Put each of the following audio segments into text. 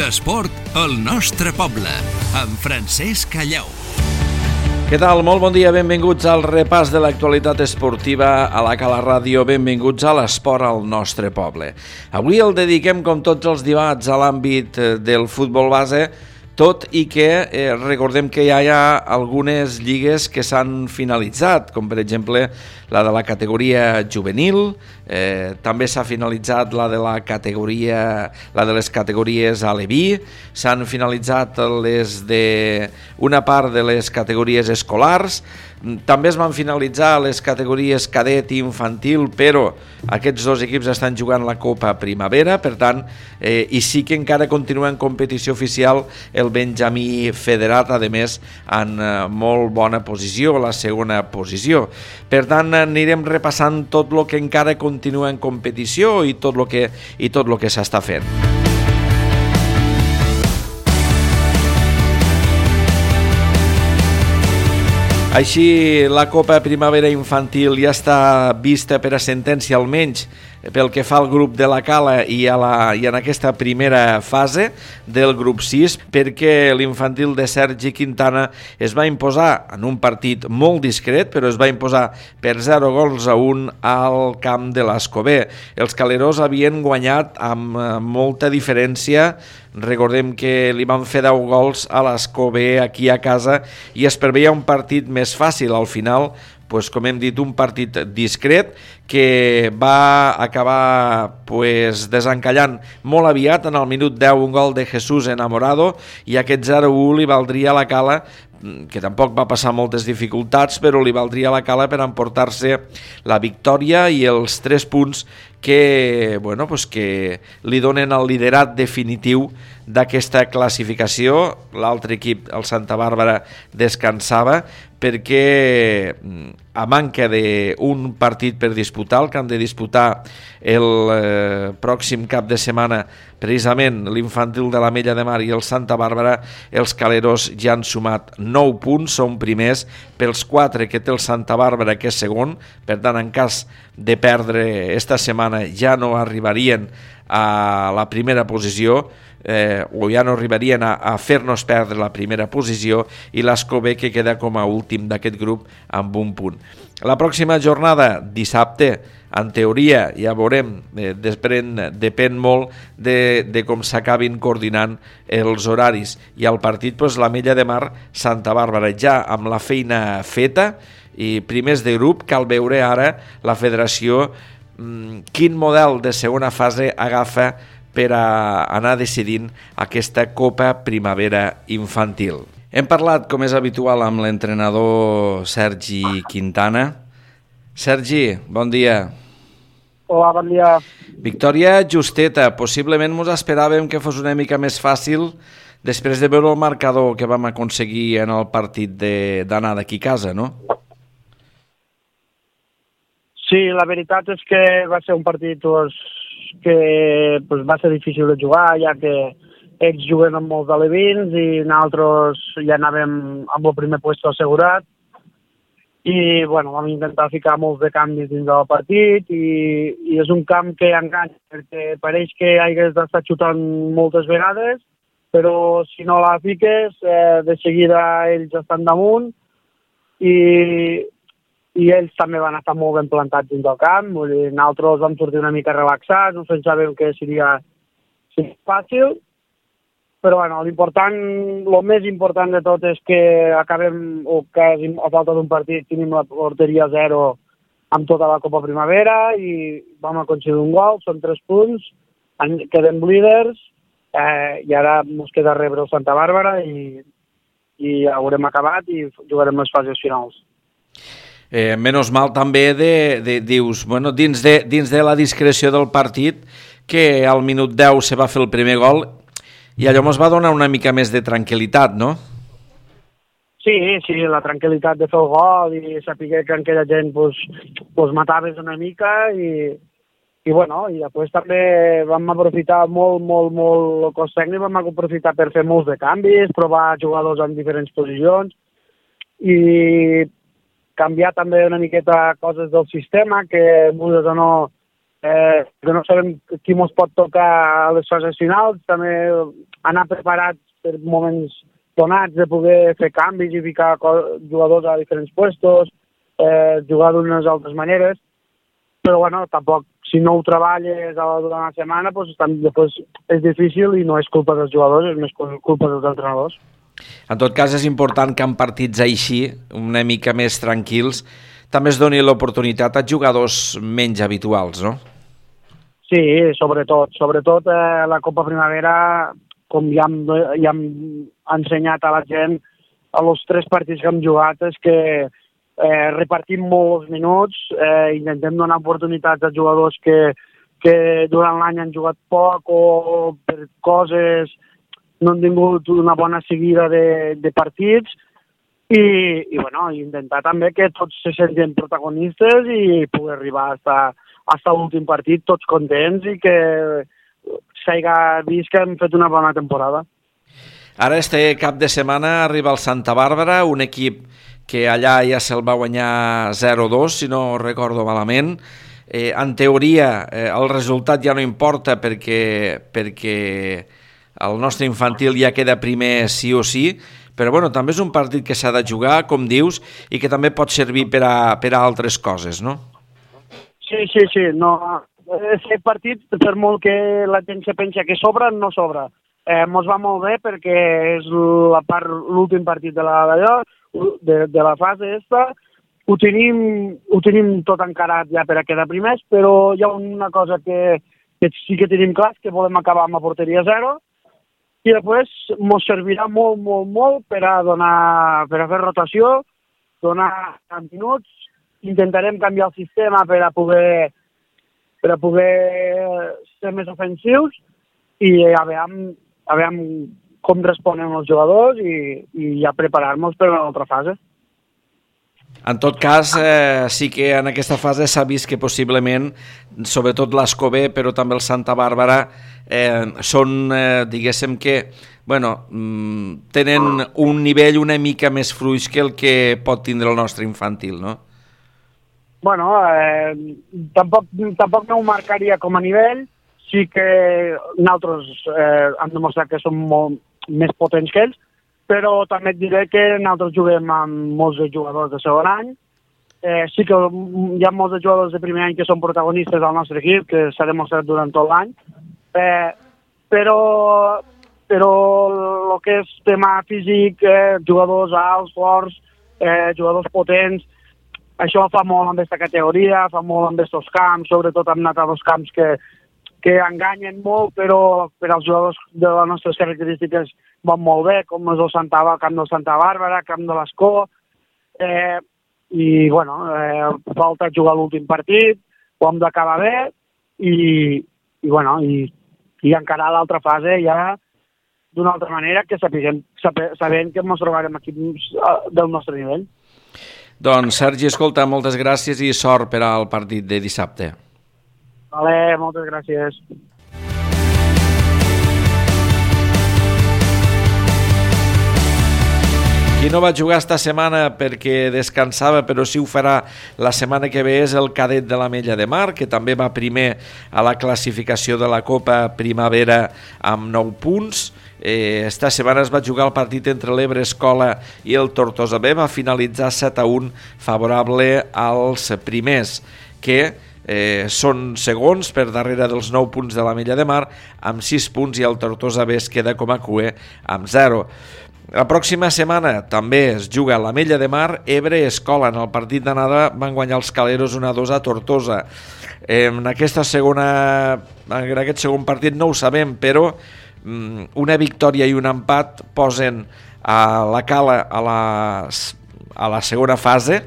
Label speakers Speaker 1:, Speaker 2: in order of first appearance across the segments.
Speaker 1: L'esport al nostre poble, amb Francesc Callau.
Speaker 2: Què tal? Molt bon dia, benvinguts al repàs de l'actualitat esportiva a la Cala Ràdio, benvinguts a l'esport al nostre poble. Avui el dediquem, com tots els dimarts, a l'àmbit del futbol base, tot i que recordem que ja hi ha algunes lligues que s'han finalitzat, com per exemple la de la categoria juvenil, també s'ha finalitzat la de les categories Aleví, s'han finalitzat una part de les categories escolars, també es van finalitzar les categories cadet i infantil, però aquests dos equips estan jugant la Copa Primavera, per tant, i sí que encara continua en competició oficial el Benjamí Federat, a més, en molt bona posició, la segona posició. Per tant, anirem repassant tot el que encara continua en competició i tot el que s'està fent. Així, la Copa Primavera Infantil ja està vista per a sentència, almenys pel que fa al grup de la Cala i en aquesta primera fase del grup 6, perquè l'infantil de Sergi Quintana es va imposar en un partit molt discret, però es va imposar per 0-1 al camp de l'Escober. Els calerós havien guanyat amb molta diferència. Recordem que li van fer 10 gols a l'Escober aquí a casa i es preveia un partit més fàcil. Al final, com hem dit, un partit discret que va acabar desencallant molt aviat. En el minut 10 un gol de Jesús Enamorado i aquest 0-1 li valdria a la Cala, que tampoc va passar moltes dificultats, però li valdria a la Cala per emportar-se la victòria i els 3 punts que li donen el liderat definitiu d'aquesta classificació. L'altre equip, el Santa Bàrbara, descansava perquè a manca d'un partit per disputar, el que han de disputar el pròxim cap de setmana, precisament l'infantil de l'Ametlla de Mar i el Santa Bàrbara, els caleros ja han sumat 9 punts, són primers pels 4 que té el Santa Bàrbara, que és segon. Per tant, en cas de perdre esta setmana ja no arribarien a la primera posició, o ja no arribarien a fer-nos perdre la primera posició, i l'Escober, que queda com a últim d'aquest grup amb un punt. La pròxima jornada, dissabte, en teoria, ja veurem, depèn molt de com s'acabin coordinant els horaris, i el partit, l'Ametlla de Mar, Santa Bàrbara, ja amb la feina feta i primers de grup. Cal veure ara la federació quin model de segona fase agafa per a anar decidint aquesta Copa Primavera Infantil. Hem parlat, com és habitual, amb l'entrenador Sergi Quintana. Sergi, bon dia.
Speaker 3: Hola, bon dia.
Speaker 2: Victòria justeta. Possiblement ens esperàvem que fos una mica més fàcil després de veure el marcador que vam aconseguir en el partit d'anar d'aquí a casa, no?
Speaker 3: Sí, la veritat és que va ser un partit que va ser difícil de jugar, ja que ells juguen amb molts alevins i nosaltres ja anàvem amb el primer lloc assegurat. I vam intentar ficar molts de canvis dins del partit i és un camp que enganya, perquè pareix que hagués d'estar xutant moltes vegades, però si no la fiques, de seguida ells estan damunt i ells també van estar molt ben plantats dins del camp. Vull dir, nosaltres vam sortir una mica relaxats, no pensàvem que seria fàcil, però el més important de tot és que acabem, o quasi a falta d'un partit, tenim la porteria 0 amb tota la Copa Primavera i vam aconseguir un gol, són 3 punts, quedem líders i ara ens queda rebre el Santa Bàrbara i haurem acabat i jugarem les fases finals.
Speaker 2: Menys mal també dius, dins de la discreció del partit, que al minut 10 se va fer el primer gol i allò ens va donar una mica més de tranquil·litat, no?
Speaker 3: Sí, la tranquil·litat de fer el gol i saber que aquella gent mataves una mica i després també vam aprofitar molt el cos tècnic, vam aprofitar per fer molts de canvis, provar jugadors en diferents posicions i canviar també una miqueta coses del sistema que vulguis o no que no sabem qui ens pot tocar a les fases finals. També anar preparats per moments donats, de poder fer canvis i ficar jugadors a diferents puestos, jugar d'unes altres maneres, però bueno, tampoc, si no ho treballes durant la setmana, després és difícil i no és culpa dels jugadors, és més culpa dels entrenadors.
Speaker 2: En tot cas, és important que en partits així, una mica més tranquils, també es doni l'oportunitat a jugadors menys habituals, no?
Speaker 3: Sí, sobretot la Copa Primavera, com ja hem ensenyat a la gent, a els 3 partits que hem jugat, és que repartim molt els minuts, intentem donar oportunitats a jugadors que durant l'any han jugat poc o per coses no han tingut una bona seguida de partits i bueno, intentar també que tots se sentin protagonistes i poder arribar a l'últim partit tots contents i que s'hagi vist que hem fet una bona temporada.
Speaker 2: Ara este cap de setmana arriba el Santa Bàrbara, un equip que allà ja se'l va guanyar 0-2, si no recordo malament. En teoria el resultat ja no importa perquè el nostre infantil ja queda primer sí o sí, però bueno, també és un partit que s'ha de jugar, com dius, i que també pot servir per a altres coses, no?
Speaker 3: Sí. No, aquest partit, per molt que la gent se pensa que sobra, no sobra. Mos va molt bé perquè és l'últim partit de la fase esta. Ho tenim tot encarat ja per a quedar primers, però hi ha una cosa que sí que tenim clar, que volem acabar amb la porteria 0, i després ens servirà molt per a fer rotació, donar minuts, intentarem canviar el sistema per a poder ser més ofensius i a veure com responen els jugadors i ja preparar-nos per a l'altra fase.
Speaker 2: En tot cas, sí que en aquesta fase s'ha vist que possiblement, sobretot l'Escobé, però també el Santa Bàrbara, són, diguéssim que, bueno, tenen un nivell una mica més fluix que el que pot tindre el nostre infantil, no?
Speaker 3: Bueno, tampoc no ho marcaria com a nivell, sí que nosaltres hem demostrat que som molt més potents que ells, però també et diré que nosaltres juguem amb molts jugadors de segon any. Sí que hi ha molts jugadors de primer any que són protagonistes del nostre equip, que s'ha demostrat durant tot l'any, però el que és tema físic, jugadors alts, forts, jugadors potents, això fa molt amb aquesta categoria, fa molt amb aquests camps, sobretot hem anat a dos camps que enganyen molt, però per als jugadors de les nostres característiques van molt bé, com és el camp del Santa Bàrbara, camp de l'Escó, i bueno, falta jugar l'últim partit, ho hem d'acabar bé, i encarar l'altra fase ja d'una altra manera, que sabent que ens trobarem equips del nostre nivell.
Speaker 2: Doncs, Sergi, escolta, moltes gràcies i sort per al partit de dissabte.
Speaker 3: Vale, moltes gràcies.
Speaker 2: Qui no va jugar esta setmana perquè descansava, però sí ho farà la setmana que ve, és el cadet de l'Ametlla de Mar, que també va primer a la classificació de la Copa Primavera amb 9 punts. Esta setmana es va jugar el partit entre l'Ebre Escola i el Tortosa B, va finalitzar 7-1 favorable als primers, que són segons per darrere dels 9 punts de l'Ametlla de Mar amb 6 punts, i el Tortosa B es queda com a cuer amb 0. La pròxima setmana també es juga a l'Ametlla de Mar, Ebre Escola. En el partit d'anada van guanyar els caleros 1-2 a Tortosa. En aquest segon partit no ho sabem, però una victòria i un empat posen a la Cala a la segona fase,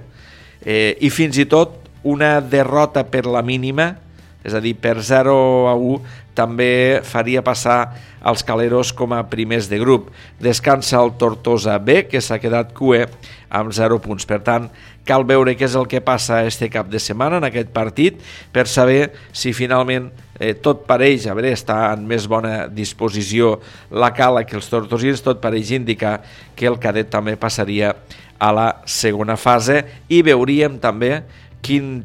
Speaker 2: i fins i tot una derrota per la mínima, és a dir, per 0-1, també faria passar els caleros com a primers de grup. Descansa el Tortosa B, que s'ha quedat cuer amb 0 punts. Per tant, cal veure què és el que passa este cap de setmana en aquest partit per saber si finalment tot pareix, a veure, està en més bona disposició la Cala que els tortosins, tot pareix indicar que el cadet també passaria a la segona fase, i veuríem també quin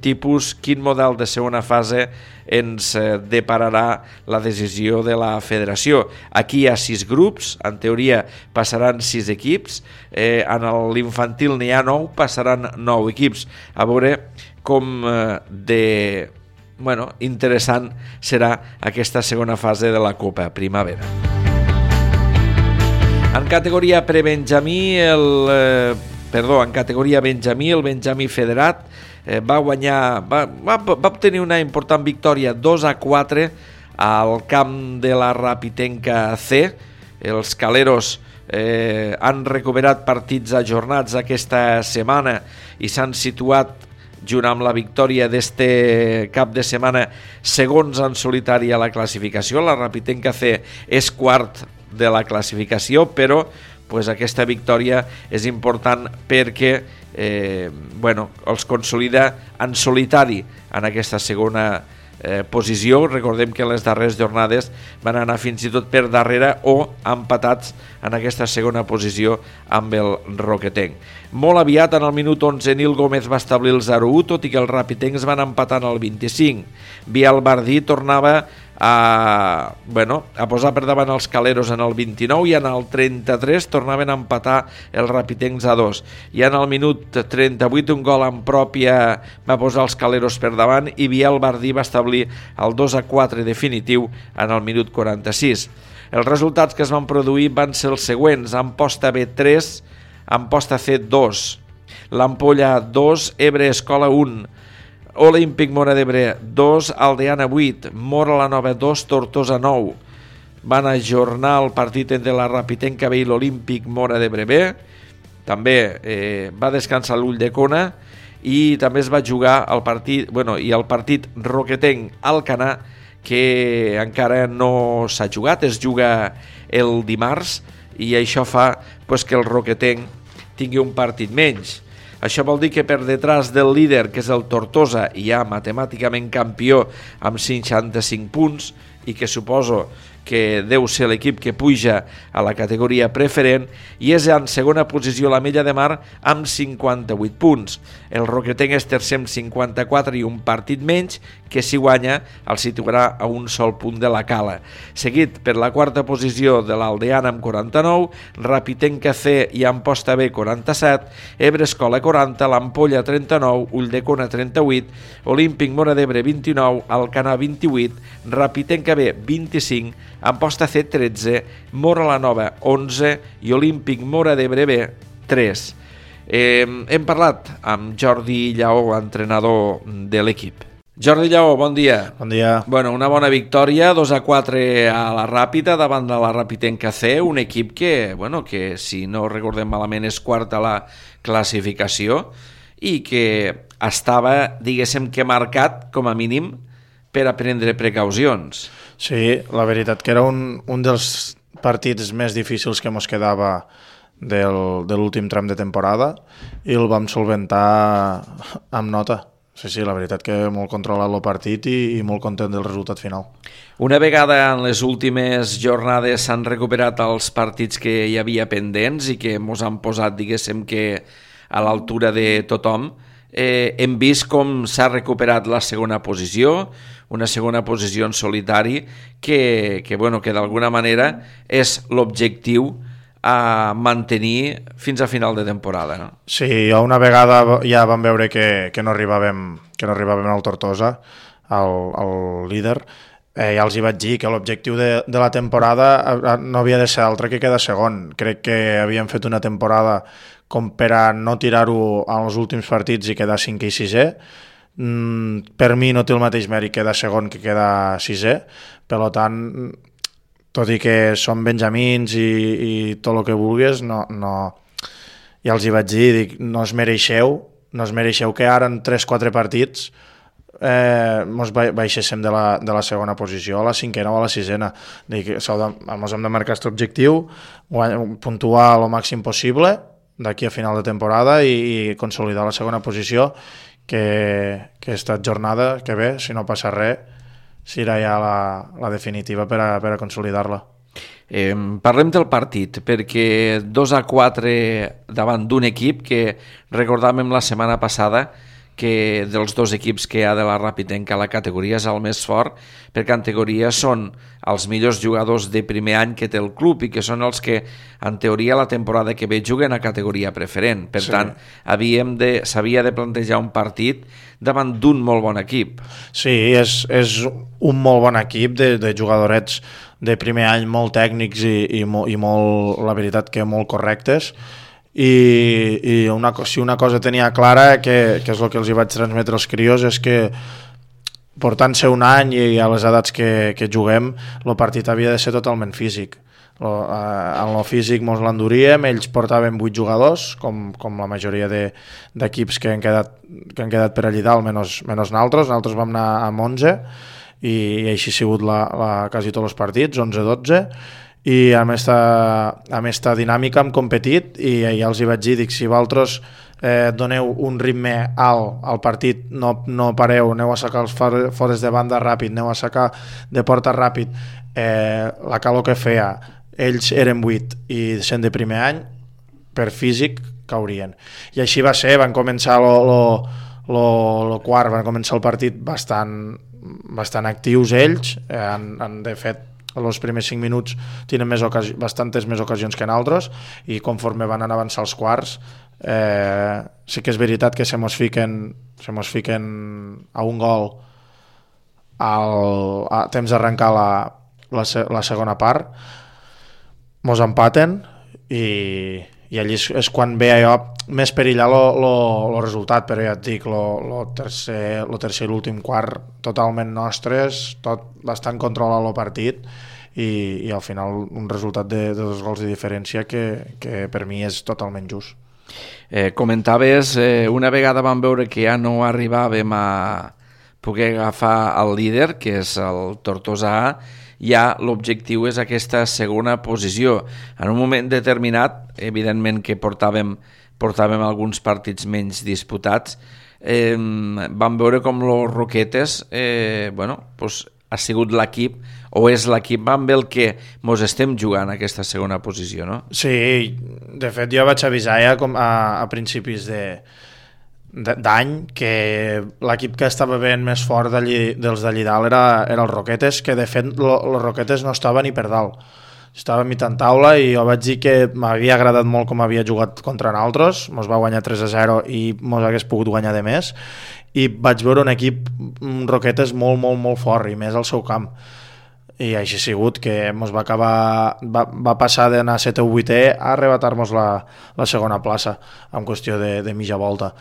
Speaker 2: model de segona fase ens depararà la decisió de la federació. Aquí hi ha 6 grups, en teoria passaran 6 equips, en l'infantil n'hi ha 9, passaran 9 equips. A veure com interessant serà aquesta segona fase de la Copa Primavera. En categoria prebenjamí, en categoria benjamí, el Benjamí Federat va obtenir una important victòria 2-4 al camp de la Rapitenca C. Els caleros han recuperat partits ajornats aquesta setmana i s'han situat, junt amb la victòria d'este cap de setmana, segons en solitari a la classificació. La Rapitenca C és quart de la classificació, però aquesta victòria és important perquè els consolida en solitari en aquesta segona posició. Recordem que en les darreres jornades van anar fins i tot per darrere o empatats en aquesta segona posició amb el Roquetenc. Molt aviat, en el minut 11, Nil Gómez va establir el 0-1, tot i que els rapitencs van empatar en el 25. Biel Bardí tornava a posar per davant els caleros en el 29 i en el 33 tornaven a empatar els rapitencs a 2. I en el minut 38 un gol en pròpia va posar els caleros per davant i Biel Bardí va establir el 2-4 definitiu en el minut 46. Els resultats que es van produir van ser els següents: Amposta B 3, Amposta C 2, l'Ampolla 2, Ebre Escola 1, Olímpic Móra d'Ebre 2, Aldeana 8, Móra la Nova 2, Tortosa 9. Van ajornar el partit entre la Rapitenca B i l'Olímpic Móra d'Ebre B. També va descansar l'Ulldecona i també es va jugar el partit Roquetenc Alcanar, que encara no s'ha jugat, es juga el dimarts i això fa que el Roquetenc tingui un partit menys. Això vol dir que per detrás del líder, que és el Tortosa, hi ha matemàticament campió amb 55 punts i que suposo que deu ser l'equip que puja a la categoria preferent, i és en segona posició l'Ametlla de Mar amb 58 punts. El Roquetenc és tercer amb 54 i un partit menys, que si guanya el situarà a un sol punt de la Cala. Seguit per la quarta posició de l'Aldeana amb 49, Rapitenca C i Amposta B 47, Ebre Escola 40, l'Ampolla 39, Ulldecona 38, Olímpic Móra d'Ebre 29, Alcanar 28, Rapitenca B 25, Amposta C 13, Móra la Nova 11 i Olímpic Móra d'Ebre B 3. Hem parlat amb Jordi Lleó, entrenador de l'equip. Jordi Lleó, bon dia.
Speaker 4: Bon dia.
Speaker 2: Una bona victòria, 2-4 a la Ràpita davant de la Rapitenca C, un equip que si no recordem malament és quart a la classificació i que estava, diguéssim que marcat, com a mínim, per a prendre precaucions.
Speaker 4: Sí, la veritat que era un dels partits més difícils que ens quedava de l'últim tram de temporada i el vam solventar amb nota. Sí, la veritat que molt controlat el partit i molt content del resultat final.
Speaker 2: Una vegada en les últimes jornades s'han recuperat els partits que hi havia pendents i que ens han posat, diguéssim, que a l'altura de tothom, hem vist com s'ha recuperat la segona posició, una segona posició en solitari que d'alguna manera és l'objectiu a mantenir fins a final de temporada, no?
Speaker 4: Sí, una vegada ja vam veure que no arribàvem al Tortosa, al líder. Ja els hi vaig dir que l'objectiu de la temporada no havia de ser altre que quedar segon. Crec que havíem fet una temporada com per a no tirar-ho en els últims partits i quedar 5è i 6è. Per mi no té el mateix mèrit quedar segon que quedar 6è. Per tant, tot i que som benjamins i tot el que vulguis, ja els hi vaig dir, no es mereixeu que ara en 3-4 partits ens baixéssim de la segona posició a la 5a o a la 6a. Ens hem de marcar aquest objectiu, puntuar el màxim possible d'aquí a final de temporada i consolidar la segona posició, que esta jornada que ve, si no passa res, serà ja la definitiva per a consolidar-la.
Speaker 2: Parlem del partit, perquè 2-4 davant d'un equip que recordàvem la setmana passada que dels dos equips que hi ha de la Rapidenca la categoria és el més fort, per categoria són els millors jugadors de primer any que té el club i que són els que en teoria la temporada que ve juguen a categoria preferent. Per tant, s'havia de plantejar un partit davant d'un molt bon equip.
Speaker 4: Sí, és un molt bon equip de jugadorets de primer any molt tècnics i molt, la veritat que molt correctes. I si una cosa tenia clara, que és el que els hi vaig transmetre als crios, és que portant-se un any i a les edats que juguem, el partit havia de ser totalment físic. En el físic mos l'enduríem, ells portaven 8 jugadors, com la majoria d'equips que han quedat per allà dalt, menys nosaltres vam anar amb 11, i així ha sigut quasi tots els partits, 11-12, i amb esta dinàmica hem competit i ja els hi vaig dir, si vosaltres doneu un ritme alt al partit, no pareu, aneu a sacar els fores de banda ràpid, aneu a sacar de porta ràpid, la calor que feia, ells eren 8 i sent de primer any, per físic caurien. I així va ser, van començar el quart, van començar el partit bastant actius ells, de fet els primers 5 minuts tenen bastantes més ocasions que nosaltres, i conforme van anar avançar els quarts, sí que és veritat que se mos fiquen a un gol a temps d'arrencar la segona part, mos empaten i allí és quan ve allò més perillar el resultat, però ja et dic, el tercer i l'últim quart totalment nostres, tot bastant controlat el partit, i al final un resultat de 2 gols de diferència que per mi és totalment just.
Speaker 2: Comentaves, una vegada vam veure que ja no arribàvem a poder agafar el líder, que és el Tortosa A, ja l'objectiu és aquesta segona posició. En un moment determinat, evidentment que portàvem alguns partits menys disputats, vam veure com los Roquetes ha sigut l'equip, o és l'equip amb el que mos estem jugant aquesta segona posició, no?
Speaker 4: Sí, de fet jo vaig avisar ja a principis d'any que l'equip que estava ben més fort dels d'allí dalt era els Roquetes, que de fet els Roquetes no estaven ni per dalt, estava a mitjan taula, i jo vaig dir que m'havia agradat molt com havia jugat contra nosaltres, mos va guanyar 3-0 i mos hagués pogut guanyar de més, i vaig veure un equip Roquetes molt, molt, molt fort, i més al seu camp, i així ha sigut que mos va passar d'anar 7 o 8è a arrebatar-nos la segona plaça en qüestió de mitja volta.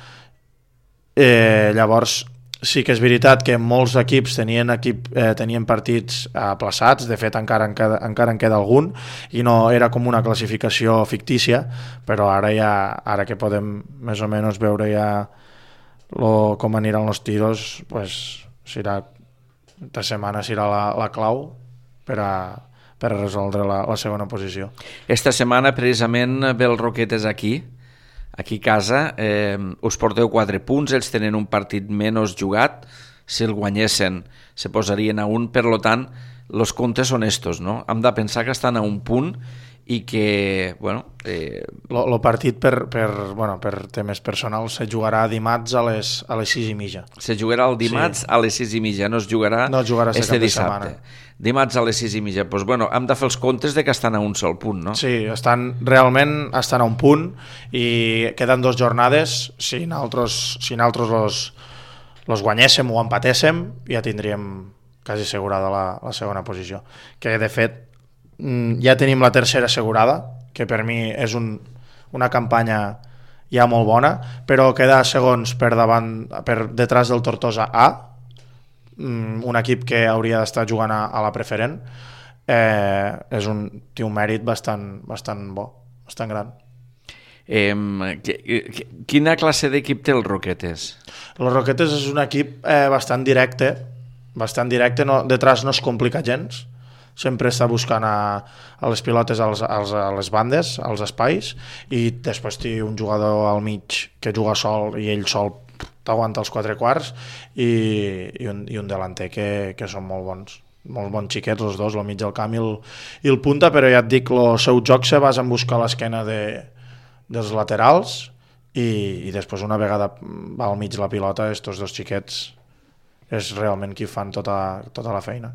Speaker 4: Llavors sí que és veritat que molts equips tenien partits aplaçats, de fet encara en queda algun, i no era com una classificació fictícia, però ara que podem més o menys veure ja com aniran els tiros, esta setmana serà la clau per a resoldre la segona posició.
Speaker 2: Esta setmana precisament ve el Roquetes aquí a casa, us porteu 4 punts, ells tenen un partit menys jugat, si el guanyessin se posarien a 1, per tant els comptes són estos, no? Hem de pensar que estan a 1 punt i que,
Speaker 4: el partit per temes personals se jugarà dimarts a les 6:30.
Speaker 2: Se jugarà el dimarts a les 6:30, no es jugarà este dissabte. Dimarts a les 6:30. Doncs hem de fer els comptes de que estan a un sol punt, no?
Speaker 4: Sí, realment estan a 1 punt i queden 2 jornades. Si nosaltres los guanyéssim o empatéssim, ja tindríem quasi assegurada la segona posició. Que de fet ja tenim la tercera assegurada, que per mi és una campanya ja molt bona, però quedar segons per detrás del Tortosa A, un equip que hauria d'estar jugant a la preferent, té un mèrit bastant bo, bastant gran.
Speaker 2: Quina classe d'equip té el Roquetes?
Speaker 4: El Roquetes és un equip bastant directe, detrás no es complica gens, sempre està buscant a les pilotes a les bandes, als espais, i després té un jugador al mig que juga sol i ell sol t'aguanta els 4 quarts, i un delanter que són molt bons xiquets els dos, el mig del camp i el punta, però ja et dic, el seu joc se basa en buscar l'esquena dels laterals i després una vegada va al mig la pilota, estos dos xiquets és realment qui fan tota la feina.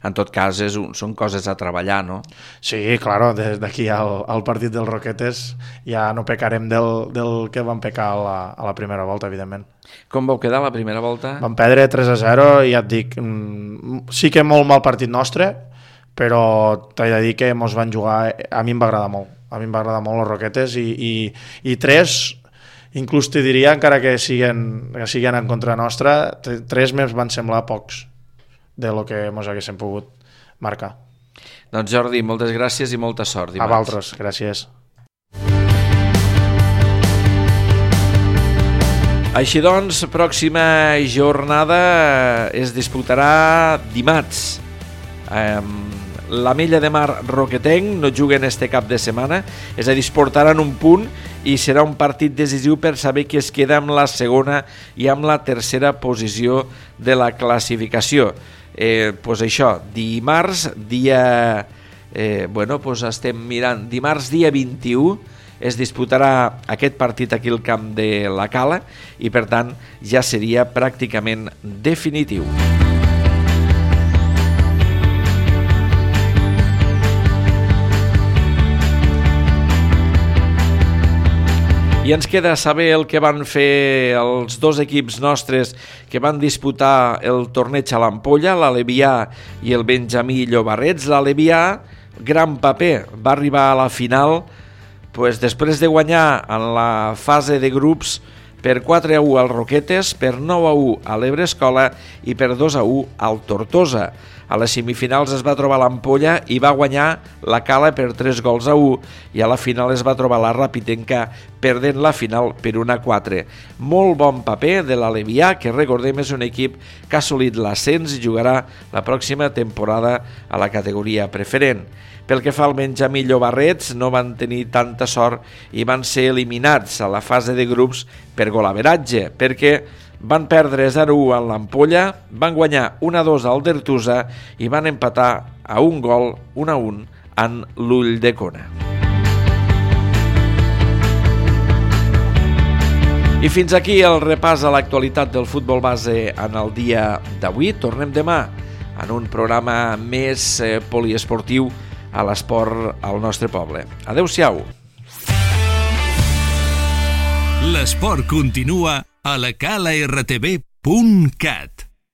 Speaker 2: En tot cas, són coses a treballar, no?
Speaker 4: Sí, claro, des d'aquí al partit dels Roquetes ja no pecarem del que vam pecar a la primera volta, evidentment.
Speaker 2: Com vau quedar la primera volta?
Speaker 4: Vam perdre 3-0 i ja et dic, sí que molt mal partit nostre, però t'he de dir que mos van jugar, a mi em va agradar molt. A mi em va agradar molt les Roquetes i 3... Inclús te diria, encara que siguen en contra nostra, 3 més van semblar pocs de lo que ens haguéssim pogut marcar.
Speaker 2: Doncs Jordi, moltes gràcies i molta sort dimarts.
Speaker 4: A vosaltres, gràcies.
Speaker 2: Així doncs, pròxima jornada es disputarà dimarts. L'Ametlla de Mar Roquetenc no juguen este cap de setmana, és a dir, es portaran un punt i serà un partit decisiu per saber qui es queda amb la segona i amb la tercera posició de la classificació. Pues això, dimarts dia... estem mirant, dimarts dia 21 es disputarà aquest partit aquí al camp de la Cala i per tant ja seria pràcticament definitiu. I ens queda saber el que van fer els dos equips nostres que van disputar el torneig a l'Ampolla, l'Alevià i el Benjamí Llobarrets. L'Alevià, gran paper, va arribar a la final després de guanyar en la fase de grups per 4-1 al Roquetes, per 9-1 a l'Ebrescola i per 2-1 al Tortosa. A les semifinals es va trobar l'Ampolla i va guanyar la Cala per 3-1 i a la final es va trobar la Rapitenca perdent la final per 1-4. Molt bon paper de l'Alevià, que recordem és un equip que ha assolit l'ascens i jugarà la pròxima temporada a la categoria preferent. Pel que fa al Benjamí Llobarrets, no van tenir tanta sort i van ser eliminats a la fase de grups per golaveratge, perquè van perdre 0-1 a l'Ampolla, van guanyar 1-2 al Dertusa i van empatar a un gol 1-1 en l'Ulldecona. I fins aquí el repàs a l'actualitat del futbol base en el dia d'avui. Tornem demà en un programa més poliesportiu a l'esport al nostre poble. Adéu-siau.
Speaker 1: L'esport continua a lacalaRTV.cat.